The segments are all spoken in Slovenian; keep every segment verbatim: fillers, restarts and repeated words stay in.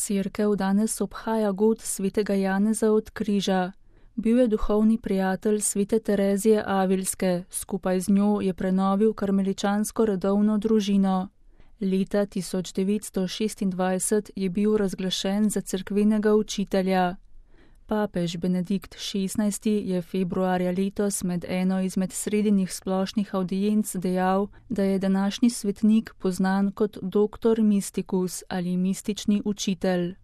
Cerkev danes obhaja god svetega Janeza od Križa. Bil je duhovni prijatelj svete Terezije Avilske, skupaj z njo je prenovil karmeličansko redovno družino. Leta tisoč devetsto šestindvajset je bil razglašen za cerkvenega učitelja. Papež Benedikt šestnajsti je februarja letos med eno izmed sredinih splošnih avdienc dejal, da je današnji svetnik poznan kot doktor mysticus ali mistični učitelj.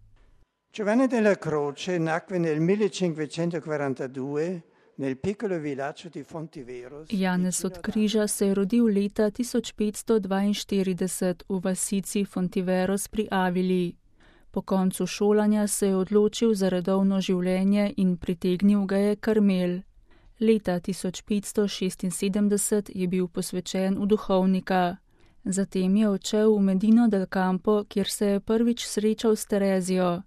Giovanni della Croce nacque nel millecinquecentoquarantadue nel piccolo villaggio di Fontiveros. Janez od Križa se je rodil leta tisoč petsto dvainštirideset v vasici Fontiveros pri Avili. Po koncu šolanja se je odločil za redovno življenje in pritegnil ga je Karmel. Leta tisoč petsto šestinsedemdeset je bil posvečen v duhovnika. Zatem je odšel v Medino del Campo, kjer se je prvič srečal s Terezijo.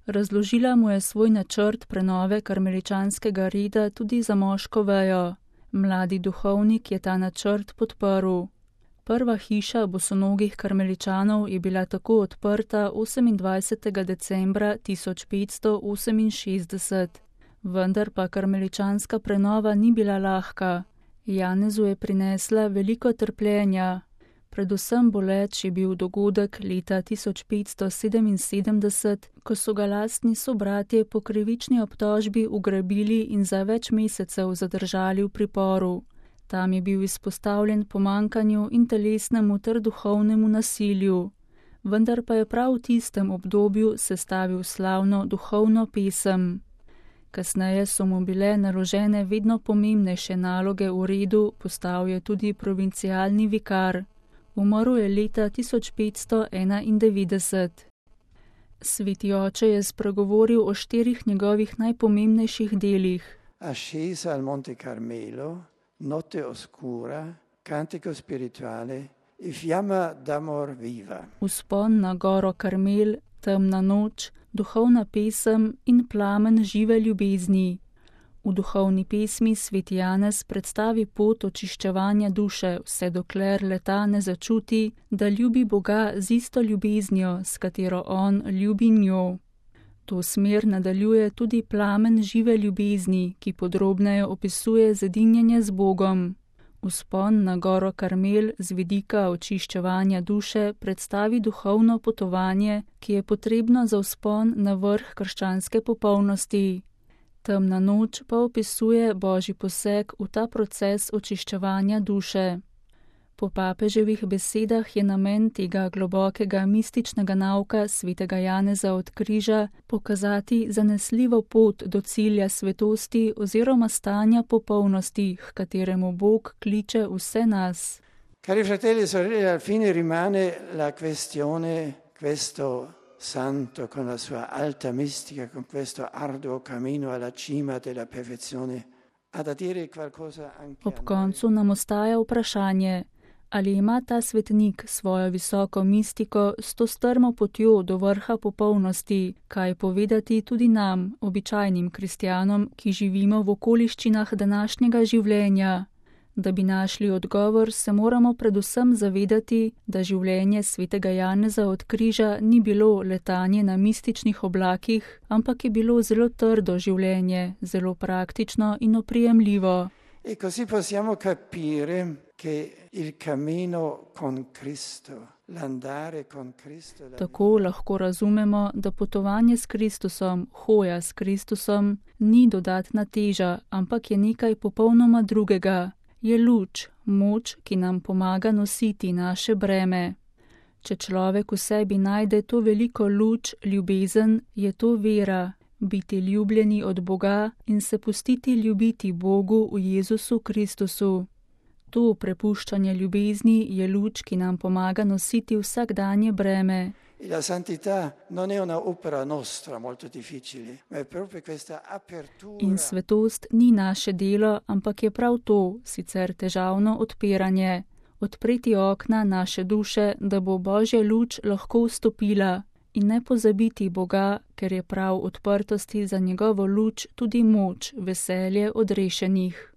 Razložila mu je svoj načrt prenove karmeličanskega reda tudi za moško vejo. Mladi duhovnik je ta načrt podprl. Prva hiša bosonogih karmeličanov je bila tako odprta osemindvajsetega decembra tisoč petsto oseminšestdeset. Vendar pa karmeličanska prenova ni bila lahka. Janezu je prinesla veliko trpljenja. Predvsem boleč je bil dogodek leta tisoč petsto sedeminsedemdeset, ko so ga lastni sobratje po krivični obtožbi ugrabili in za več mesecev zadržali v priporu. Tam je bil izpostavljen pomankanju in telesnemu ter duhovnemu nasilju. Vendar pa je prav v tistem obdobju sestavil slavno duhovno pesem. Kasneje so mu bile naložene vedno pomembnejše naloge v redu, postal je tudi provincialni vikar. Umrl je leta tisoč petsto enaindevetdeset. Sveti oče je spregovoril o štirih njegovih najpomembnejših delih. Ascesa al Monte Carmelo, notte oscura, cantico spirituale e fiamma d'amor viva. Vzpon na goro Karmel, temna noč, duhovna pesem in plamen žive ljubezni. V duhovni pesmi sveti Janez predstavi pot očiščevanja duše, vse dokler leta ne začuti, da ljubi Boga z isto ljubeznijo, s katero on ljubi njo. To smer nadaljuje tudi plamen žive ljubezni, ki podrobneje opisuje zedinjenje z Bogom. Vzpon na goro Karmel z vidika očiščevanja duše predstavi duhovno potovanje, ki je potrebno za vzpon na vrh krščanske popolnosti. Temna noč pa opisuje Božji poseg v ta proces očiščevanja duše. Po papeževih besedah je namen tega globokega mističnega nauka svetega Janeza od Križa pokazati zanesljivo pot do cilja svetosti oziroma stanja popolnosti, h kateremu Bog kliče vse nas. Cari fratelli e sorelle, al fine rimane la questione questo santo con la sua alta mistica, con questo arduo cammino alla cima della perfezione, ha da dire qualcosa anche Ob koncu nam ostaja vprašanje, ali ima ta svetnik svojo visoko mistiko s to strmo potjo do vrha popolnosti, kaj povedati tudi nam, običajnim kristjanom, ki živimo v okoliščinah današnjega življenja. Da bi našli odgovor, se moramo predvsem zavedati, da življenje svetega Janeza od Križa ni bilo letanje na mističnih oblakih, ampak je bilo zelo trdo življenje, zelo praktično in oprijemljivo. E così possiamo capire che il cammino con Cristo, l'andare con Cristo. Tako lahko razumemo, da potovanje s Kristusom, hoja s Kristusom, ni dodatna teža, ampak je nekaj popolnoma drugega. Je luč, moč, ki nam pomaga nositi naše breme. Če človek v sebi najde to veliko luč, ljubezen, je to vera, biti ljubljeni od Boga in se pustiti ljubiti Bogu v Jezusu Kristusu. To prepuščanje ljubezni je luč, ki nam pomaga nositi vsakdanje breme. La santità non è una opera nostra molto difficile, ma è proprio questa apertura. In svetost ni naše delo, ampak je prav to, sicer težavno odpiranje. Odpreti okna naše duše, da bo Božja luč lahko vstopila in ne pozabiti Boga, ker je prav odprtosti za njegovo luč tudi moč, veselje odrešenih.